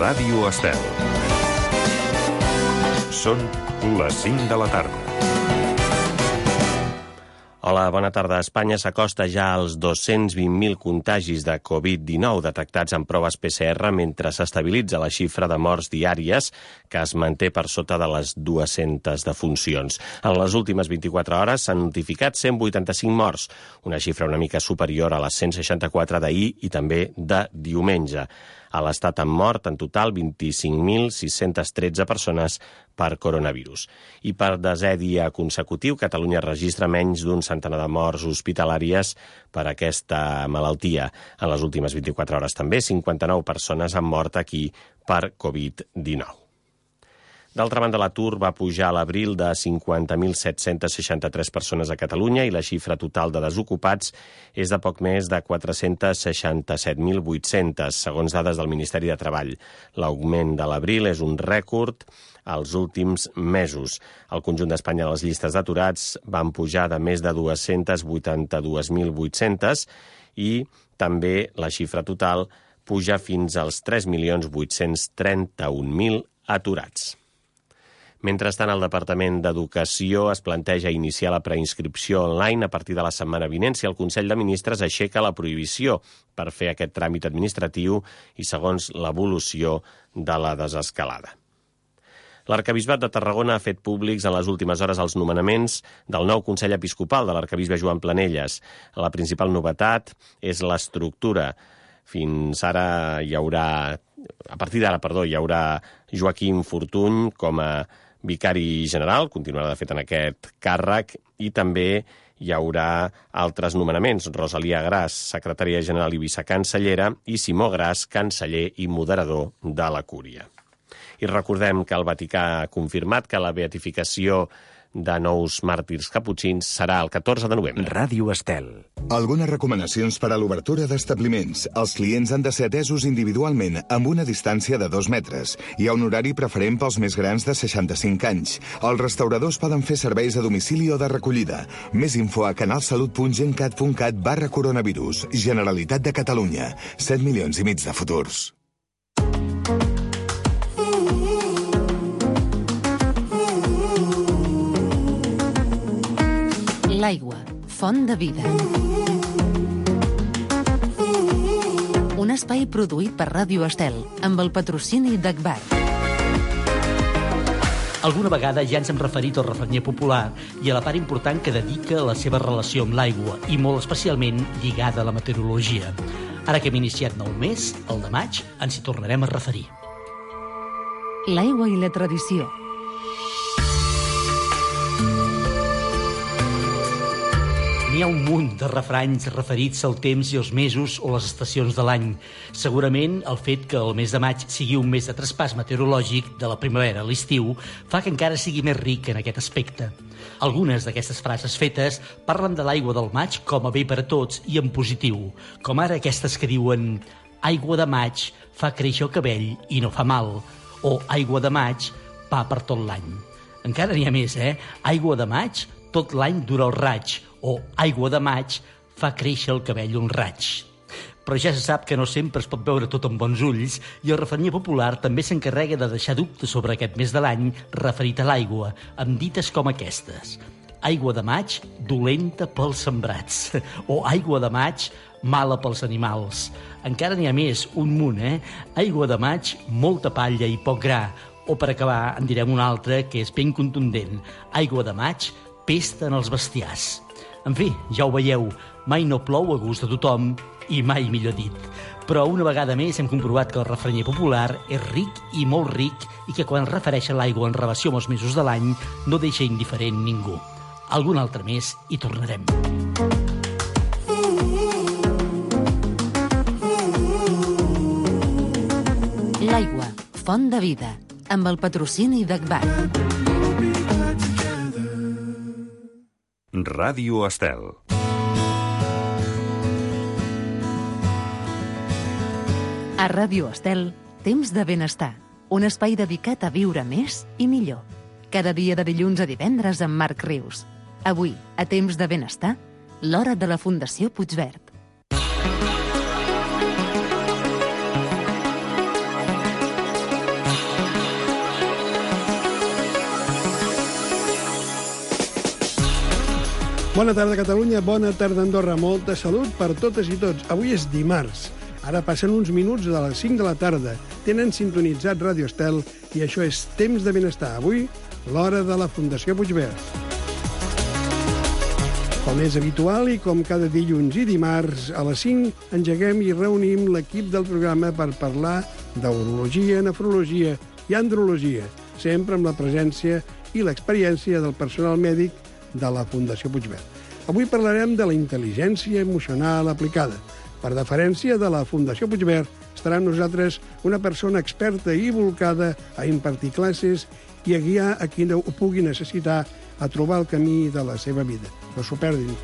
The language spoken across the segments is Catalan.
Ràdio Estel. Són les 5 de la tarda. Hola, bona tarda. Espanya s'acosta ja als 220.000 contagis de Covid-19 detectats en proves PCR mentre s'estabilitza la xifra de morts diàries que es manté per sota de les 200 defuncions. En les últimes 24 hores s'han notificat 185 morts, una xifra una mica superior a les 164 d'ahir i també de diumenge. A l'Estat han mort en total 25.613 persones per coronavirus. I per desè dia consecutiu, Catalunya registra menys d'un centenar de morts hospitalàries per aquesta malaltia. En les últimes 24 hores també 59 persones han mort aquí per Covid-19. D'altra banda, l'atur va pujar a l'abril de 50.763 persones a Catalunya i la xifra total de desocupats és de poc més de 467.800, segons dades del Ministeri de Treball. L'augment de l'abril és un rècord als últims mesos. Al conjunt d'Espanya les llistes d'aturats van pujar de més de 282.800 i també la xifra total puja fins als 3.831.000 aturats. Mentrestant, el Departament d'Educació es planteja iniciar la preinscripció online a partir de la setmana vinent si el Consell de Ministres aixeca la prohibició per fer aquest tràmit administratiu i segons l'evolució de la desescalada. L'Arquebisbat de Tarragona ha fet públics en les últimes hores els nomenaments del nou Consell Episcopal de l'Arquebisbe Joan Planelles. La principal novetat és l'estructura. Fins ara hi haurà Joaquim Fortuny com a vicari general, continuarà de fet en aquest càrrec, i també hi haurà altres nomenaments. Rosalia Gras, secretària general i vicecancellera, i Simó Gras, canceller i moderador de la Cúria. I recordem que el Vaticà ha confirmat que la beatificació de nous màrtirs caputxins serà el 14 de novembre. Ràdio Estel. Algunes recomanacions per a l'obertura d'establiments. Els clients han de ser atesos individualment amb una distància de 2 metres. Hi ha un horari preferent pels més grans de 65 anys. Els restauradors poden fer serveis a domicili o de recollida. Més info a canalsalut.gencat.cat/coronavirus. Generalitat de Catalunya. 7 milions i mig de futurs. L'aigua, font de vida. Un espai produït per Ràdio Estel, amb el patrocini d'Agbar. Alguna vegada ja ens hem referit al refranyer popular i a la part important que dedica a la seva relació amb l'aigua, i molt especialment lligada a la meteorologia. Ara que hem iniciat nou mes, el de maig, ens hi tornarem a referir. L'aigua i la tradició. N'hi ha un munt de refranys referits al temps i els mesos o les estacions de l'any. Segurament el fet que el mes de maig sigui un mes de traspàs meteorològic de la primavera a l'estiu fa que encara sigui més ric en aquest aspecte. Algunes d'aquestes frases fetes parlen de l'aigua del maig com a bé per a tots i en positiu, com ara aquestes que diuen «Aigua de maig fa créixer el cabell i no fa mal», o «Aigua de maig, pa per tot l'any». Encara n'hi ha més, «Aigua de maig, tot l'any dura el raig», o «Aigua de maig fa créixer el cabell un raig». Però ja se sap que no sempre es pot veure tot amb bons ulls i el refranyer popular també s'encarrega de deixar dubtes sobre aquest mes de l'any referit a l'aigua, amb dites com aquestes. «Aigua de maig, dolenta pels sembrats», o «Aigua de maig, mala pels animals». Encara n'hi ha més, un munt, «Aigua de maig, molta palla i poc gra», o per acabar en direm una altra que és ben contundent, «Aigua de maig, pesta en els bestiars». En fi, ja ho veieu, mai no plou a gust de tothom i mai millor dit. Però una vegada més hem comprovat que el refranyer popular és ric i molt ric i que quan es refereix a l'aigua en relació amb els mesos de l'any no deixa indiferent ningú. Algun altre més hi tornarem. L'aigua, font de vida, amb el patrocini d'Agbar. Ràdio Estel. A Ràdio Estel, temps de benestar. Un espai dedicat a viure més i millor. Cada dia de dilluns a divendres amb Marc Rius. Avui, a temps de benestar, l'hora de la Fundació Puigverd. Bona tarda, Catalunya. Bona tarda, Andorra. Molta salut per totes i tots. Avui és dimarts. Ara passen uns minuts de les 5 de la tarda. Tenen sintonitzat Ràdio Estel i això és Temps de Benestar. Avui, l'hora de la Fundació Puigverd. Com és habitual i com cada dilluns i dimarts, a les 5 engeguem i reunim l'equip del programa per parlar d'urologia, nefrologia i andrologia, sempre amb la presència i l'experiència del personal mèdic de la Fundació Puigverd. Avui parlarem de la intel·ligència emocional aplicada. Per deferència de la Fundació Puigverd estarà amb nosaltres una persona experta i volcada a impartir classes i a guiar a qui ho pugui necessitar a trobar el camí de la seva vida. No s'ho perdin.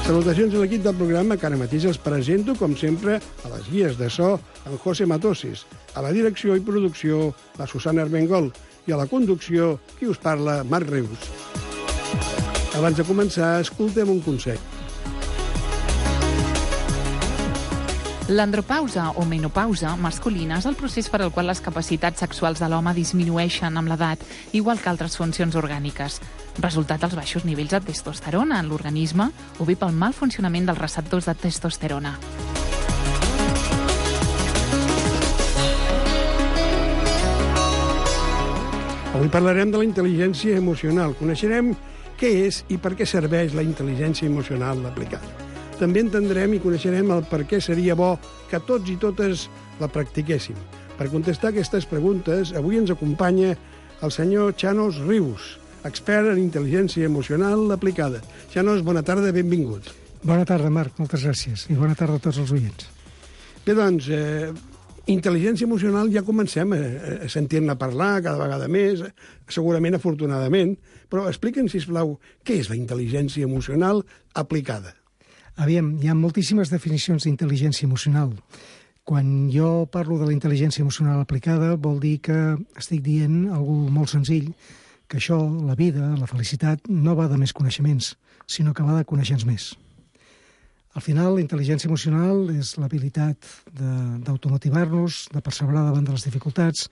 Salutacions a l'equip del programa, que ara mateix els presento, com sempre, a les guies de so, en José Matoses, a la direcció i producció, la Susana Armengol, i a la conducció, qui us parla, Marc Rius. Abans de començar, escoltem un consell. L'andropausa o menopausa masculina és el procés per al qual les capacitats sexuals de l'home disminueixen amb l'edat, igual que altres funcions orgàniques. Resultat dels baixos nivells de testosterona en l'organisme o bé pel mal funcionament dels receptors de testosterona. Avui parlarem de la intel·ligència emocional. Coneixerem què és i per què serveix la intel·ligència emocional aplicada. També entendrem i coneixerem el per què seria bo que tots i totes la practiquéssim. Per contestar aquestes preguntes, avui ens acompanya el senyor Chanos Rius, expert en intel·ligència emocional aplicada. Chanos, bona tarda, benvingut. Bona tarda, Marc, moltes gràcies. I bona tarda a tots els oients. Bé, doncs, intel·ligència emocional ja comencem a sentir-ne parlar cada vegada més, segurament afortunadament, però explica'm, sisplau, què és la intel·ligència emocional aplicada? Aviam, hi ha moltíssimes definicions d'intel·ligència emocional. Quan jo parlo de la intel·ligència emocional aplicada, vol dir que estic dient alguna molt senzill, que això, la vida, la felicitat, no va de més coneixements, sinó que va de conèixer-nos més. Al final, la intel·ligència emocional és l'habilitat d'automotivar-nos, de perseverar davant de les dificultats,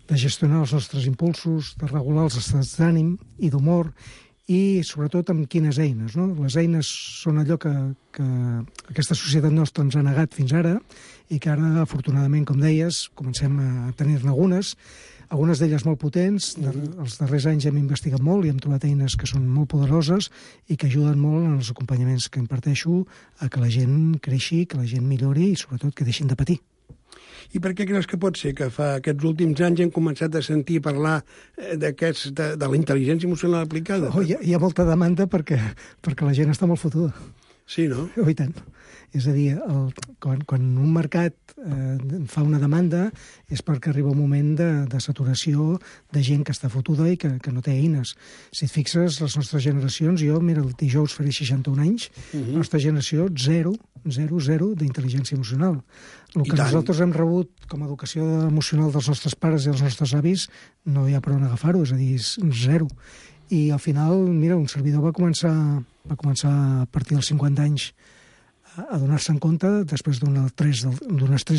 de gestionar els nostres impulsos, de regular els estats d'ànim i d'humor, i sobretot amb quines eines. No? Les eines són allò que aquesta societat nostra ens ha negat fins ara i que ara, afortunadament, com deies, comencem a tenir-ne algunes d'elles molt potents. Els darrers anys hem investigat molt i hem trobat eines que són molt poderoses i que ajuden molt en els acompanyaments que imparteixo a que la gent creixi, que la gent millori i, sobretot, que deixin de patir. I per què creus que pot ser que fa aquests últims anys hem començat a sentir parlar de la intel·ligència emocional aplicada? Hi ha molta demanda perquè la gent està molt fotuda. Sí, no? I tant. És a dir, quan un mercat fa una demanda és perquè arriba un moment de saturació de gent que està fotuda i que no té eines. Si et fixes, les nostres generacions, mira, el dijous faré 61 anys, la nostra generació, zero d'intel·ligència emocional. El que nosaltres hem rebut com a educació emocional dels nostres pares i dels nostres avis no hi ha per on agafar-ho, és a dir, és zero. I al final, mira, un servidor va començar a partir dels 50 anys a donar-se en compte, després d'un estrès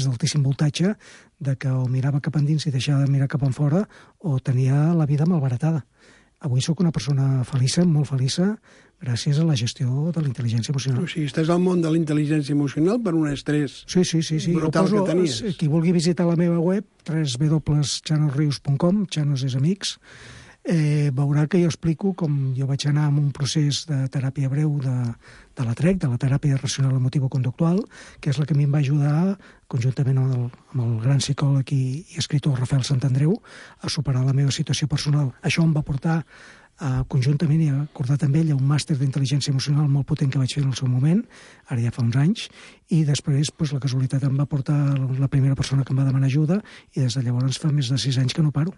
d'altíssim voltatge, de que o mirava cap endins i deixava de mirar cap enfora o tenia la vida malbaratada. Avui sóc una persona feliça, molt feliça, gràcies a la gestió de la intel·ligència emocional. O sigui, estàs al món de la intel·ligència emocional per un estrès brutal que tenies. Qui vulgui visitar la meva web, www.chanosrius.com, Chanos és amics, veurà que jo explico com jo vaig anar amb un procés de teràpia breu de la TREC, de la teràpia racional emotivo-conductual, que és la que a mi em va ajudar, conjuntament amb el gran psicòleg i escriptor Rafael Santandreu, a superar la meva situació personal. Això em va portar conjuntament i acordat amb ella un màster d'intel·ligència emocional molt potent que vaig fer en el seu moment, ara ja fa uns anys, i després la casualitat em va portar la primera persona que em va demanar ajuda i des de llavors fa més de 6 anys que no paro.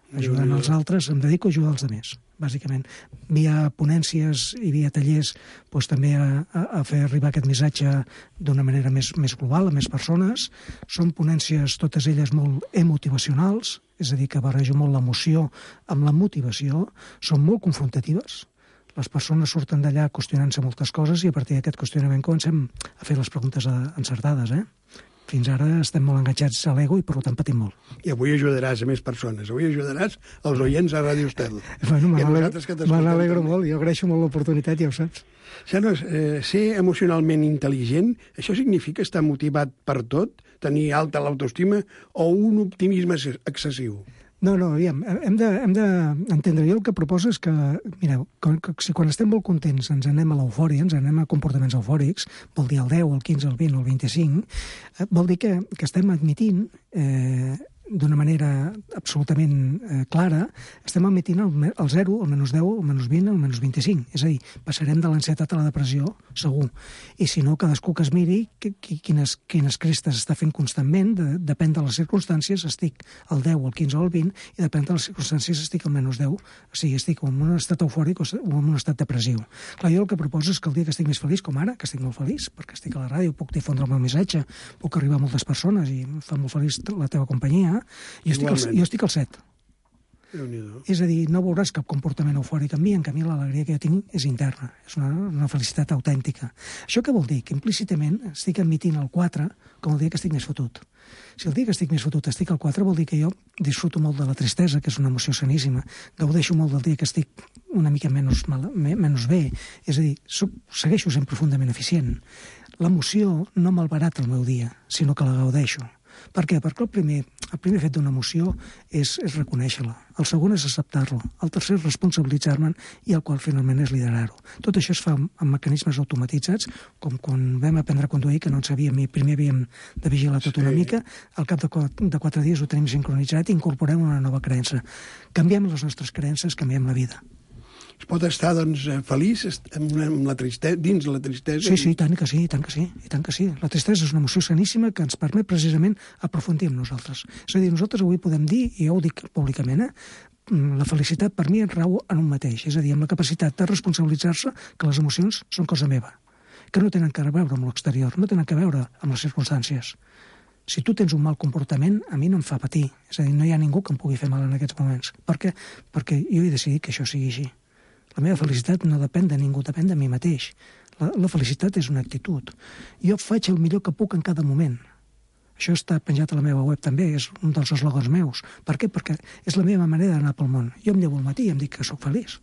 Ajudant els altres, em dedico a ajudar els altres, bàsicament. Via ponències i via tallers, també a fer arribar aquest missatge d'una manera més global, a més persones. Són ponències, totes elles molt emotivacionals, és a dir, que barrejo molt l'emoció amb la motivació, són molt confrontatives. Les persones surten d'allà qüestionant-se moltes coses i a partir d'aquest qüestionament comencem a fer les preguntes encertades, fins ara estem molt enganxats a l'ego i per tant patim molt. I avui ajudaràs a més persones. Avui ajudaràs els oients a Ràdio Estel. Bueno, me n'alegro molt. Jo agraeixo molt l'oportunitat, ja ho saps. Xanos, ser emocionalment intel·ligent, això significa estar motivat per tot, tenir alta l'autoestima o un optimisme excessiu? No, aviam, hem d'entendre. Jo el que proposo és que, mireu, si quan estem molt contents ens anem a l'eufòria, ens anem a comportaments eufòrics, vol dir el 10, el 15, el 20 o el 25, vol dir que estem admitint d'una manera absolutament clara, estem admitint el 0, el menys 10, el menys 20, el menys 25. És a dir, passarem de l'ansietat a la depressió, segur. I si no, cadascú que es miri quines crestes està fent constantment, depèn de les circumstàncies, estic al 10, al 15 o al 20, i depèn de les circumstàncies estic al menys 10, o sigui, estic en un estat eufòric o en un estat depressiu. Clar, jo el que proposo és que el dia que estic més feliç, com ara, que estic molt feliç, perquè estic a la ràdio, puc difondre el meu missatge, puc arribar a moltes persones i em fa molt feliç la teva companyia, jo estic al 7. És a dir, no veuràs cap comportament eufòric en mi, en canvi l'alegria que jo tinc és interna, és una felicitat autèntica. Això què vol dir? Que implícitament estic admitint el 4 com el dia que estic més fotut. Si el dia que estic més fotut estic al 4, vol dir que jo disfruto molt de la tristesa, que és una emoció saníssima, gaudeixo molt del dia que estic una mica menys bé, és a dir, segueixo sent profundament eficient. L'emoció no malbarata el meu dia, sinó que la gaudeixo. Per què? Perquè el primer fet d'una emoció és reconèixer-la, el segon és acceptar-la, el tercer és responsabilitzar-me'n i el quart finalment és liderar-ho. Tot això es fa amb mecanismes automatitzats, com quan vam aprendre a conduir, que no en sabíem i primer havíem de vigilar tot una mica, al cap de 4 dies ho tenim sincronitzat i incorporem una nova creença. Canviem les nostres creences, canviem la vida. Es pot estar, doncs, feliç amb la tristesa, dins la tristesa? Sí, tant que sí. La tristesa és una emoció saníssima que ens permet precisament aprofundir en nosaltres. És a dir, nosaltres avui podem dir, i jo ho dic públicament, la felicitat per mi rau en un mateix, és a dir, amb la capacitat de responsabilitzar-se que les emocions són cosa meva, que no tenen que veure amb l'exterior, no tenen que veure amb les circumstàncies. Si tu tens un mal comportament, a mi no em fa patir. És a dir, no hi ha ningú que em pugui fer mal en aquests moments. Per què? Perquè jo he decidit que això sigui així. La meva felicitat no depèn de ningú, depèn de mi mateix. La felicitat és una actitud. Jo faig el millor que puc en cada moment. Això està penjat a la meva web també, és un dels eslògans meus. Per què? Perquè és la meva manera d'anar pel món. Jo em llevo al matí i em dic que sóc feliç.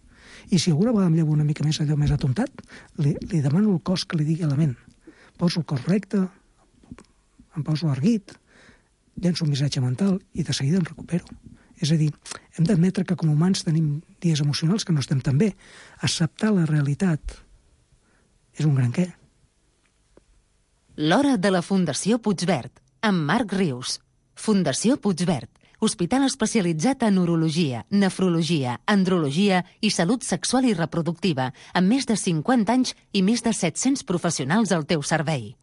I si alguna vegada em llevo una mica més allò més atontat, li demano al cos que li digui a la ment. Poso el cos recte, em poso erguit, llenço un missatge mental i de seguida em recupero. És a dir, hem d'admetre que com a humans tenim dies emocionals que no estem tan bé. Acceptar la realitat és un gran què. L'hora de la Fundació Puigverd, amb Marc Rius. Fundació Puigverd, hospital especialitzat en urologia, nefrologia, andrologia i salut sexual i reproductiva, amb més de 50 anys i més de 700 professionals al teu servei.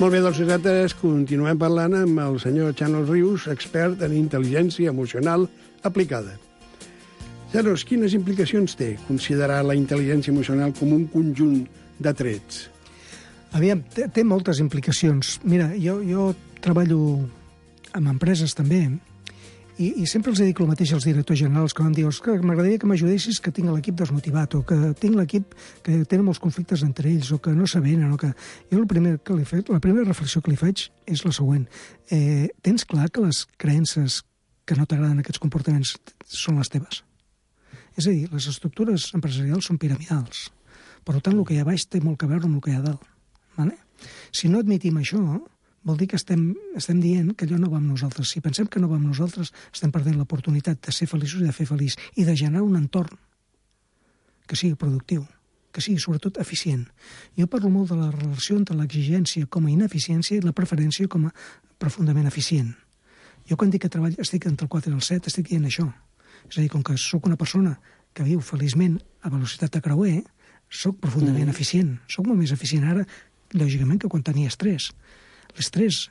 Molt bé, doncs nosaltres continuem parlant amb el senyor Xanos Rius, expert en intel·ligència emocional aplicada. Xanos, quines implicacions té considerar la intel·ligència emocional com un conjunt de trets? Aviam, té moltes implicacions. Mira, jo treballo amb empreses també i sempre els dic el mateix als directors generals que em diuen que m'agradaria que m'ajudessis que tinc l'equip desmotivat o que tinc l'equip que tenen molts conflictes entre ells o que no s'avenen o que... Jo la primera reflexió que li faig és la següent. Tens clar que les creences que no t'agraden aquests comportaments són les teves? És a dir, les estructures empresarials són piramidals. Per tant, el que hi ha baix té molt a veure amb el que hi ha dalt. Vale? Si no admitim això, vol dir que estem dient que allò no va amb nosaltres. Si pensem que no va amb nosaltres, estem perdent l'oportunitat de ser feliços i de fer feliç i de generar un entorn que sigui productiu, que sigui sobretot eficient. Jo parlo molt de la relació entre l'exigència com a ineficiència i la preferència com a profundament eficient. Jo quan dic que estic entre el 4 i el 7 estic dient això. És a dir, com que sóc una persona que viu feliçment a velocitat de creuer, sóc profundament eficient. Sóc molt més eficient ara, lògicament, que quan tenia estrès. L'estrès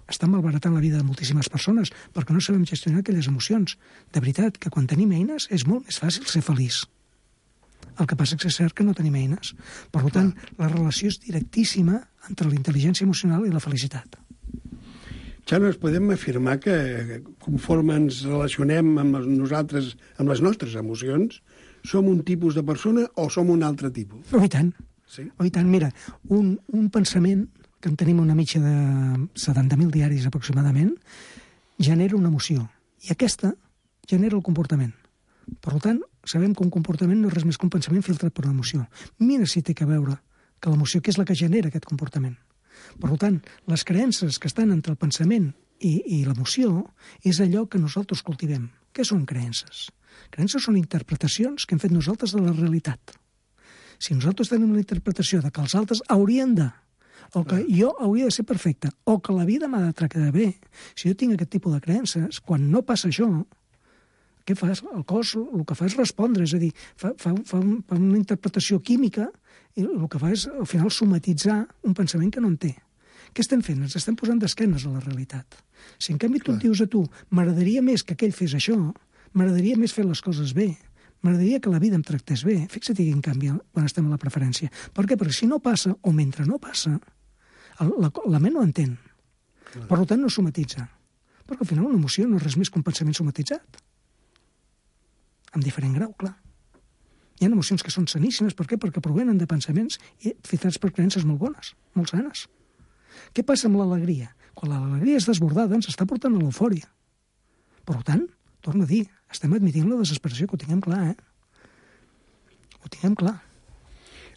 està malbaratant la vida de moltíssimes persones perquè no sabem gestionar aquelles emocions. De veritat, que quan tenim eines és molt més fàcil ser feliç. El que passa és cert que no tenim eines. Per tant, la relació és directíssima entre la intel·ligència emocional i la felicitat. Xanos, podem afirmar que conforme ens relacionem amb nosaltres, amb les nostres emocions, som un tipus de persona o som un altre tipus? Oh, i tant. Sí? Oh, i tant, mira, un pensament, que en tenim una mitja de 70.000 diaris aproximadament, genera una emoció. I aquesta genera el comportament. Per tant, sabem que un comportament no és res més que un pensament filtrat per una emoció. Mira si té a veure que l'emoció, que és la que genera aquest comportament. Per tant, les creences que estan entre el pensament i l'emoció és allò que nosaltres cultivem. Què són creences? Creences són interpretacions que hem fet nosaltres de la realitat. Si nosaltres tenim una interpretació de que els altres haurien de, o que jo hauria de ser perfecte, o que la vida m'ha de tractar bé, si jo tinc aquest tipus de creences, quan no passa això, què fas? El cos el que fa és respondre, és a dir, fa una interpretació química i el que fa és, al final, somatitzar un pensament que no en té. Què estem fent? Ens estem posant d'esquenes a la realitat. Si en canvi tu et dius a tu, m'agradaria més que aquell fes això, m'agradaria més fer les coses bé, m'agradaria que la vida em tractés bé, fixa't quin canvi quan estem a la preferència. Per què? Perquè si no passa, o mentre no passa, la ment no entén. Per tant, no somatitza. Perquè al final una emoció no és res més que un pensament somatitzat. Amb diferent grau, clar. Hi ha emocions que són saníssimes, per què? Perquè provenen de pensaments filtrats per creences molt bones, molt sanes. Què passa amb l'alegria? Quan l'alegria és desbordada, ens està portant a l'eufòria. Per tant, torno a dir, estem admitint la desesperació, que ho tinguem clar, Ho tinguem clar.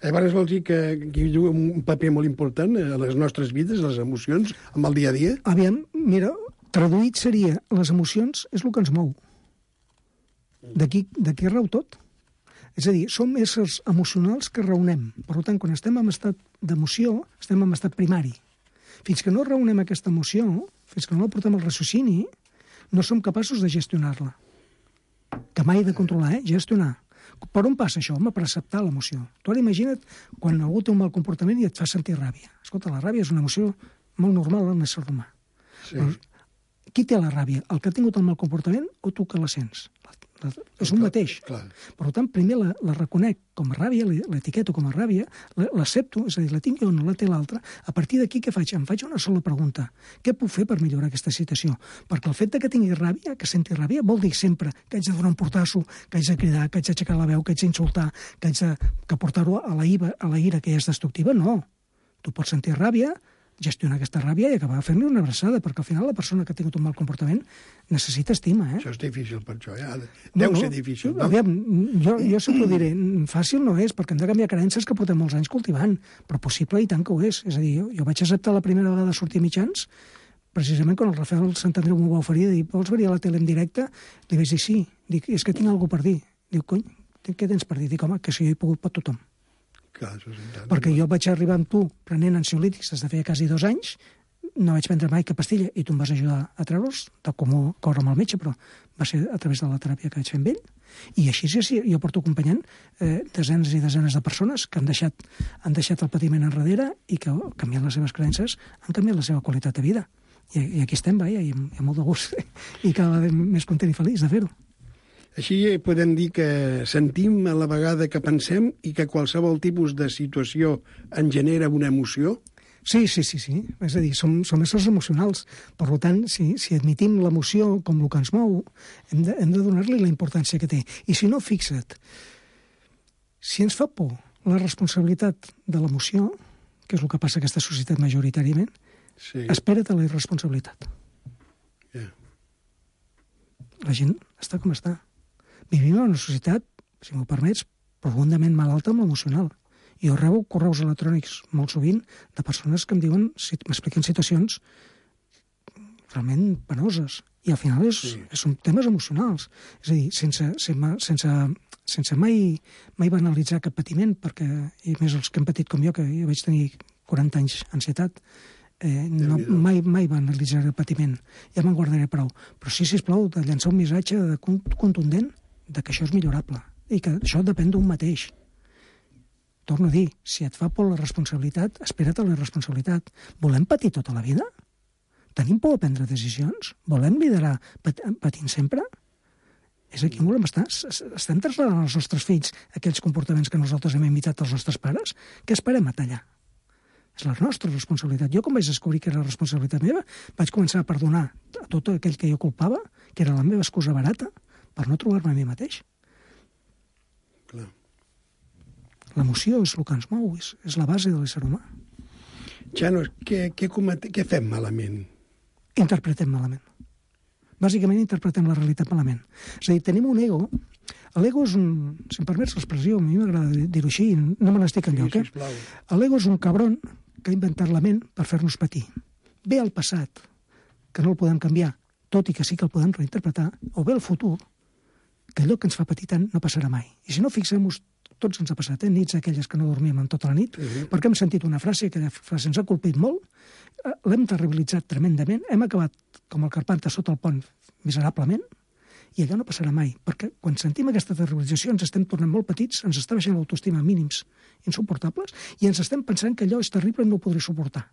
Llavors vol dir que hi juga un paper molt important a les nostres vides, les emocions, amb el dia a dia? Aviam, mira, traduït seria, les emocions és el que ens mou. D'aquí rau tot. És a dir, som éssers emocionals que raonem. Per tant, quan estem en estat d'emoció, estem en estat primari. Fins que no raonem aquesta emoció, fins que no la portem al raciocini, no som capaços de gestionar-la. Que mai de controlar, gestionar. Per on passa això? Home, per acceptar l'emoció. Tu ara imagina't quan algú té un mal comportament i et fa sentir ràbia. Escolta, la ràbia és una emoció molt normal en l'ésser humà. Sí. Però qui té la ràbia? El que ha tingut el mal comportament o tu que la sents? És un mateix. Clar. Per tant, primer la reconec com a ràbia, l'etiqueto com a ràbia, l'accepto, és a dir, la tinc jo o no la té l'altra. A partir d'aquí, què faig? Em faig una sola pregunta. Què puc fer per millorar aquesta situació? Perquè el fet que tingui ràbia, que senti ràbia, vol dir sempre que haig de donar un portasso, que haig de cridar, que haig d'aixecar la veu, que haig d'insultar, que haig de portar-ho a la ira que ja és destructiva. No. Tu pots sentir ràbia, gestionar aquesta ràbia i acabar fent-li una abraçada, perquè al final la persona que ha tingut un mal comportament necessita estima, Això és difícil per això, Deu ser difícil, no? Aviam, jo sempre ho diré, fàcil no és, perquè hem de canviar creences que portem molts anys cultivant, però possible i tant que ho és. És a dir, jo vaig acceptar la primera vegada sortir a mitjans, precisament quan el Rafael Santandreu m'ho va oferir, de dir, vols venir a la tele en directe? Li vaig dir sí, dic, és que tinc alguna per dir. Diu, cony, què tens per dir? Dic, home, que si jo he pogut per tothom. Clar, això és perquè jo vaig arribar amb tu prenent ansiolítics des de feia quasi 2 anys, no vaig prendre mai cap pastilla i tu em vas ajudar a treure'ls, tal com córrer amb el metge, però va ser a través de la teràpia que vaig fer amb ell. I així jo porto acompanyant desenes i desenes de persones que han deixat el patiment enrere i que canviant les seves creences han canviat la seva qualitat de vida. I aquí estem, i amb molt de gust i cada vegada més content i feliç de fer-ho. Així podem dir que sentim a la vegada que pensem i que qualsevol tipus de situació en genera una emoció? Sí. És a dir, som éssers emocionals. Per tant, si admitim l'emoció com el que ens mou, hem de donar-li la importància que té. I si no, fixa't, si ens fa por la responsabilitat de l'emoció, que és el que passa a aquesta societat majoritàriament, espera't a la irresponsabilitat. La gent està com està. Vivim en una societat, si m'ho permets, profundament malalta amb l'emocional. Jo rebo correus electrònics molt sovint de persones que em diuen, m'expliquen situacions realment penoses. I al final són temes emocionals. És a dir, sense mai banalitzar cap patiment, perquè, i més els que han patit com jo, que jo vaig tenir 40 anys d'ansietat, mai banalitzar el patiment. Ja me'n guardaré prou. Però sí, sisplau, de llançar un missatge contundent de que això és millorable i que això depèn d'un mateix. Torno a dir, si et fa por la responsabilitat, espera't a la responsabilitat. Volem patir tota la vida? Tenim por a prendre decisions? Volem liderar patint sempre? És aquí on volem estar? Estem traslladant als nostres fills aquells comportaments que nosaltres hem imitat als nostres pares? Què esperem a tallar? És la nostra responsabilitat. Jo, quan vaig descobrir que era la responsabilitat meva, vaig començar a perdonar a tot aquell que jo culpava, que era la meva excusa barata, per no trobar-me a mi mateix. Clar. L'emoció és el que ens mou, és la base de l'ésser humà. Xano, què fem malament? Interpretem malament. Bàsicament interpretem la realitat malament. És a dir, tenim un ego. L'ego és un... Si em permets l'expressió, a mi m'agrada dir-ho així, no me n'estic enlloc, L'ego és un cabron que ha inventat la ment per fer-nos patir. Ve al passat, que no el podem canviar, tot i que sí que el podem reinterpretar, o ve al futur, que allò que ens fa patir tant no passarà mai. I si no, fixem-nos, tots ens ha passat, nits aquelles que no dormíem en tota la nit, perquè hem sentit una frase, aquella frase ens ha colpit molt, l'hem terribilitzat tremendament, hem acabat com el Carpanta sota el pont miserablement, i allò no passarà mai, perquè quan sentim aquesta terribilització ens estem tornant molt petits, ens està baixant l'autoestima a mínims insuportables, i ens estem pensant que allò és terrible i no ho podré suportar.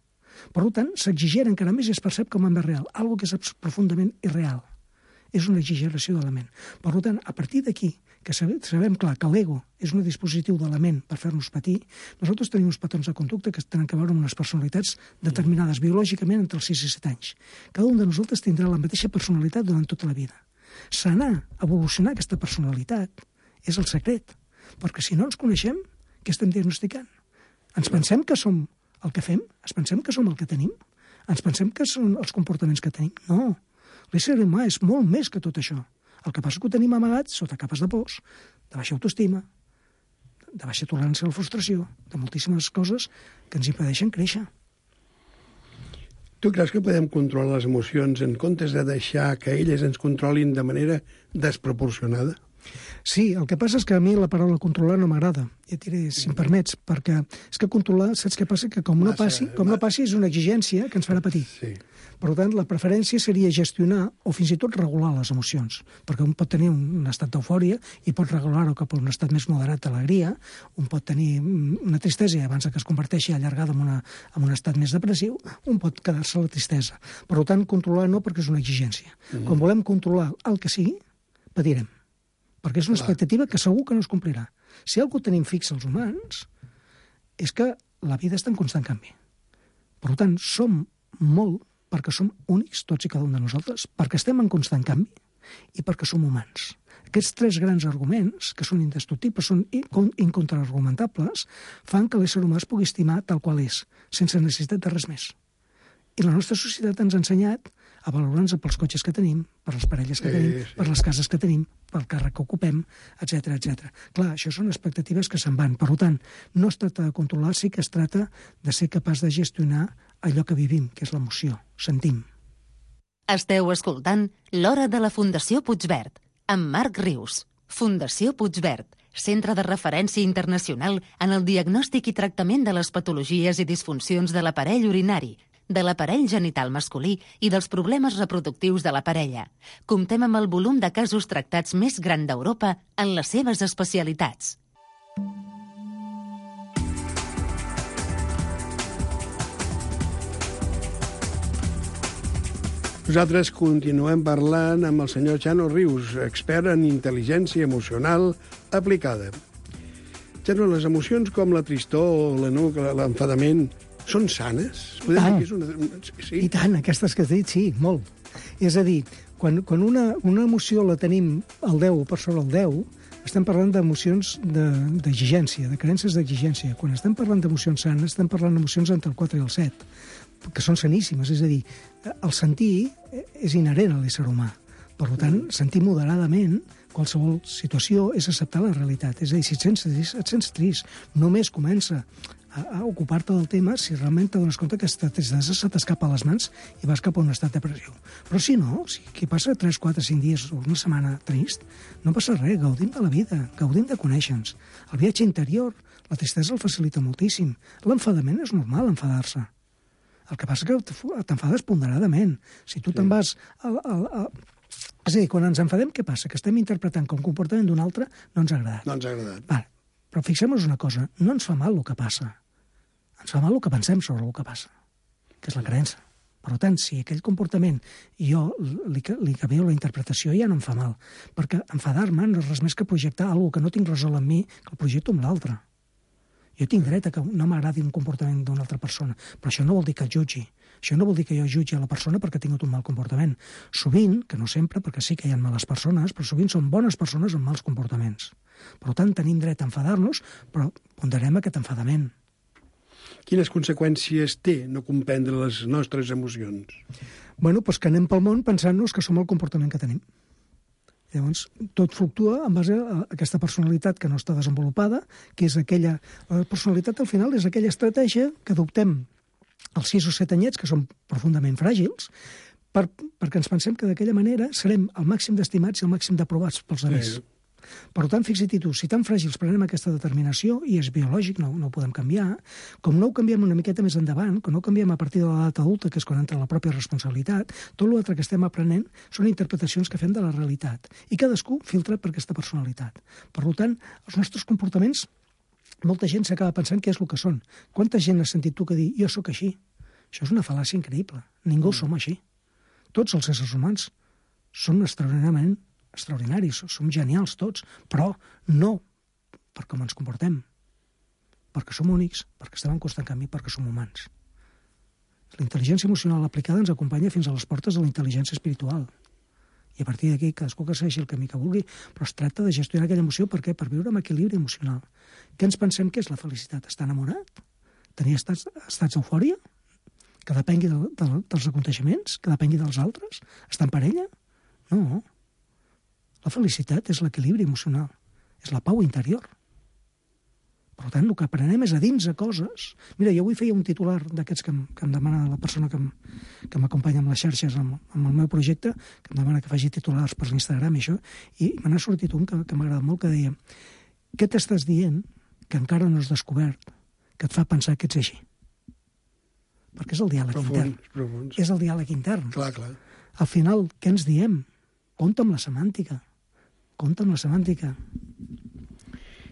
Per tant, s'exigera encara més i es percep com a més real, algo que és profundament irreal. És una exageració de la ment. Per tant, a partir d'aquí, que sabem clar que l'ego és un dispositiu de la ment per fer-nos patir, nosaltres tenim uns patrons de conducta que tenen a veure amb unes personalitats determinades biològicament entre els 6 i 7 anys. Cada un de nosaltres tindrà la mateixa personalitat durant tota la vida. Sanar, evolucionar aquesta personalitat és el secret, perquè si no ens coneixem, què estem diagnosticant? Ens pensem que som el que fem? Ens pensem que som el que tenim? Ens pensem que són els comportaments que tenim? No. L'ésser humà és molt més que tot això. El que passa que ho tenim amagat sota capes de pors, de baixa autoestima, de baixa tolerància a la frustració, de moltíssimes coses que ens impedeixen créixer. Tu creus que podem controlar les emocions en comptes de deixar que elles ens controlin de manera desproporcionada? Sí, el que passa és que a mi la paraula controlar no m'agrada, ja et diré, si em permets, perquè és que controlar, saps què passa? Que com no passi és una exigència que ens farà patir. Sí. Per tant, la preferència seria gestionar o fins i tot regular les emocions, perquè un pot tenir un estat d'eufòria i pot regular-ho cap a un estat més moderat d'alegria, un pot tenir una tristesa i abans que es converteixi allargada en un estat més depressiu, un pot quedar-se a la tristesa. Per tant, controlar no, perquè és una exigència. Quan volem controlar el que sigui, patirem, perquè és una expectativa que segur que no es complirà. Si algú tenim fix els humans, és que la vida està en constant canvi. Per tant, som molt perquè som únics, tots i cada un de nosaltres, perquè estem en constant canvi i perquè som humans. Aquests 3 grans arguments, que són indestructibles, són incontraargumentables, fan que l'ésser humà es pugui estimar tal qual és, sense necessitat de res més. I la nostra societat ens ha ensenyat a valorar-nos pels cotxes que tenim, per les parelles que tenim, per les cases que tenim, pel càrrec que ocupem, etc. Clar, això són expectatives que se'n van. Per tant, no es tracta de controlar, sí que es tracta de ser capaç de gestionar allò que vivim, que és l'emoció, sentim. Esteu escoltant L'Hora de la Fundació Puigverd, amb Marc Rius. Fundació Puigverd, centre de referència internacional en el diagnòstic i tractament de les patologies i disfuncions de l'aparell urinari, de l'aparell genital masculí i dels problemes reproductius de la parella. Comptem amb el volum de casos tractats més gran d'Europa en les seves especialitats. Nosaltres continuem parlant amb el senyor Xano Rius, expert en intel·ligència emocional aplicada. Xano, les emocions com la tristor, l'enoc, l'enfadament, són sanes? I tant. Sí? I tant, aquestes que has dit, sí, molt. És a dir, quan una emoció la tenim al 10 per sobre el 10, estem parlant d'emocions d'exigència, de creences d'exigència. Quan estem parlant d'emocions sanes, estem parlant d'emocions entre el 4 i el 7, que són saníssimes. És a dir, el sentir és inherent a l'ésser humà. Per tant, sentir moderadament qualsevol situació és acceptar la realitat. És a dir, si et sents trist, només comença a ocupar-te del tema si realment t'adones compte que aquesta tristesa se t'escapa a les mans i vas cap a un estat depressiu. Però si no, si qui passa 3, 4, 5 dies o una setmana trist, no passa res, gaudim de la vida, gaudim de conèixer-nos. El viatge interior, la tristesa el facilita moltíssim. L'enfadament és normal, enfadar-se. El que passa és que t'enfades ponderadament. Si tu te'n vas... És a dir, quan ens enfadem, què passa? Que estem interpretant com comportament d'un altre no ens ha agradat. No ens ha agradat. Vale. Però fixem-nos una cosa, no ens fa mal el que passa. Ens fa mal el que pensem sobre el que passa, que és la creença. Per tant, si aquell comportament jo li canvio la interpretació, ja no em fa mal. Perquè enfadar-me no és res més que projectar alguna que no tinc resolt en mi, que el projecto amb l'altre. Jo tinc dret a que no m'agradi un comportament d'una altra persona, però això no vol dir que el jutgi. Això no vol dir que jo jutgi a la persona perquè ha tingut un mal comportament. Sovint, que no sempre, perquè sí que hi ha males persones, però sovint són bones persones amb mals comportaments. Per tant, tenim dret a enfadar-nos, però ponderem aquest enfadament. Quines conseqüències té no comprendre les nostres emocions? Bueno, doncs que anem pel món pensant-nos que som el comportament que tenim. Llavors, tot fluctua en base a aquesta personalitat que no està desenvolupada, que és aquella... La personalitat, al final, és aquella estratègia que adoptem als 6 o 7 anyets, que són profundament fràgils, perquè ens pensem que d'aquella manera serem el màxim d'estimats i el màxim d'aprovats pels altres. Per tant, fixa-t'hi tu, si tan fràgils prenem aquesta determinació, i és biològic, no ho podem canviar, com no ho canviem una miqueta més endavant, com no ho canviem a partir de l'edat adulta, que és quan entra la pròpia responsabilitat, tot l'altre que estem aprenent són interpretacions que fem de la realitat, i cadascú filtra per aquesta personalitat. Per tant, els nostres comportaments, molta gent s'acaba pensant què és el que són. Quanta gent has sentit tu que dir, jo sóc així? Això és una fal·làcia increïble. Ningú som així. Tots els éssers humans són extraordinaris, som genials tots, però no per com ens comportem, perquè som únics, perquè estem en constant canvi, perquè som humans. La intel·ligència emocional aplicada ens acompanya fins a les portes de la intel·ligència espiritual. I a partir d'aquí, cadascú que segueixi el camí que vulgui, però es tracta de gestionar aquella emoció. Per què? Per viure amb equilibri emocional. Què ens pensem que és la felicitat? Estar enamorat? Tenir estats d'eufòria? Que depengui dels aconteixements? Que depengui dels altres? Estar en parella? No. La felicitat és l'equilibri emocional, és la pau interior. Per tant, el que aprenem és a dins de coses. Mira, jo avui feia un titular d'aquests que em demana la persona que m'acompanya amb les xarxes, amb el meu projecte, que em demana que faci titulars per l'Instagram i això, i me n'ha sortit un que m'ha agradat molt, que deia: què t'estàs dient que encara no has descobert que et fa pensar que ets així? Perquè és el diàleg intern. Profuns. És el diàleg intern. Clar. Al final, què ens diem? Compte amb la semàntica. Compte amb la semàntica.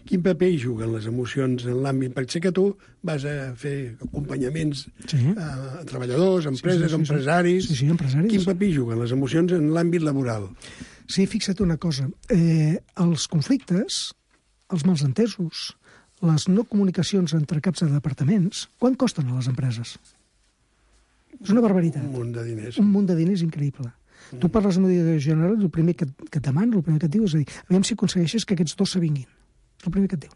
Quin paper hi juguen les emocions en l'àmbit? Perquè sé que tu vas a fer acompanyaments a treballadors, empreses, empresaris. Sí, empresaris. Quin paper hi juguen les emocions en l'àmbit laboral? Sí, fixa't una cosa. Els conflictes, els malentesos, les no comunicacions entre caps de departaments, quant costen a les empreses? És una barbaritat. Un munt de diners. Un munt de diners increïble. Tu parles amb el director general, el primer que et demana, el primer que et diu és a dir, aviam si aconsegueixes que aquests dos s'avinguin. És el primer que et diu.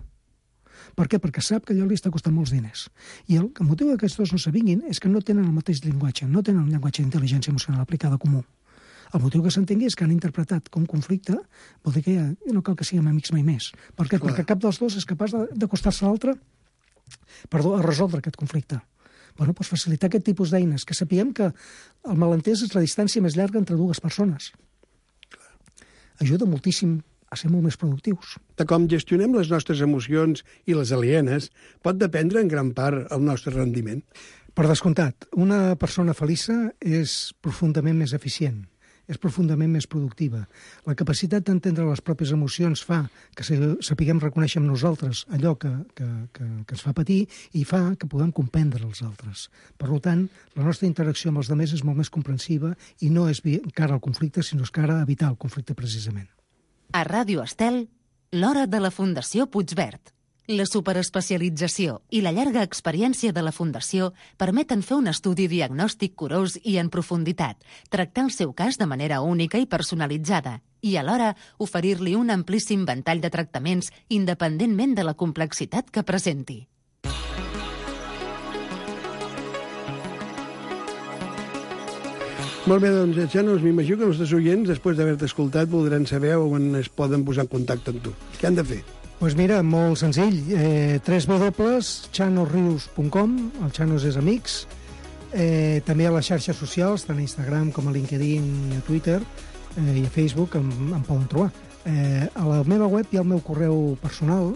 Per què? Perquè sap que allò li està costant molts diners. I el motiu que aquests dos no s'avinguin és que no tenen el mateix llenguatge, no tenen un llenguatge d'intel·ligència emocional aplicada comú. El motiu que s'entengui és que han interpretat com conflicte, vol dir que ja no cal que siguem amics mai més. Per què? Perquè cap dels dos és capaç d'acostar-se a l'altre a resoldre aquest conflicte. Bueno, doncs facilitar aquest tipus d'eines, que sapiguem que el malentès és la distància més llarga entre dues persones. Ajuda moltíssim a ser molt més productius. De com gestionem les nostres emocions i les alienes pot dependre en gran part el nostre rendiment. Per descomptat, una persona feliça és profundament més eficient, és profundament més productiva. La capacitat d'entendre les pròpies emocions fa que sapiguem reconèixer en nosaltres allò que ens fa patir i fa que puguem comprendre els altres. Per tant, la nostra interacció amb els altres és molt més comprensiva i no és cara al conflicte, sinó és cara a evitar el conflicte precisament. A Ràdio Estel, l'hora de la Fundació Puigverd. La superespecialització i la llarga experiència de la Fundació permeten fer un estudi diagnòstic curós i en profunditat, tractar el seu cas de manera única i personalitzada i, alhora, oferir-li un amplíssim ventall de tractaments independentment de la complexitat que presenti. Molt bé, doncs, Janos, m'imagino que els nostres oients, després d'haver-te escoltat, voldran saber on es poden posar en contacte amb tu. Què han de fer? Doncs mira, molt senzill, www.chanosrius.com, el Chanos és amics, també a les xarxes socials, tant a Instagram com a LinkedIn i a Twitter i a Facebook em poden trobar. A la meva web hi ha el meu correu personal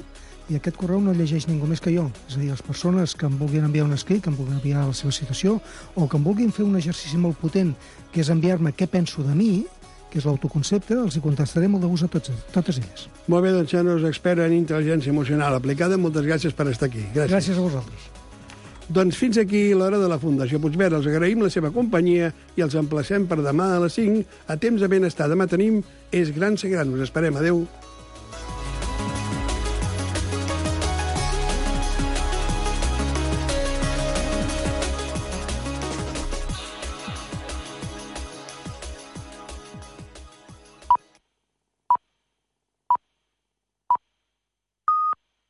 i aquest correu no llegeix ningú més que jo. És a dir, les persones que em vulguin enviar un escrit, que em vulguin enviar la seva situació o que em vulguin fer un exercici molt potent, que és enviar-me què penso de mi, que és l'autoconcepte, els hi contestaré molt de gust a totes elles. Molt bé, doncs, Chanos, expert en intel·ligència emocional aplicada. Moltes gràcies per estar aquí. Gràcies a vosaltres. Doncs fins aquí l'hora de la Fundació Puigverd. Els agraïm la seva companyia i els emplacem per demà a les 5 a Temps de Benestar. Demà tenim És Gran Ser Gran. Us esperem. Adéu.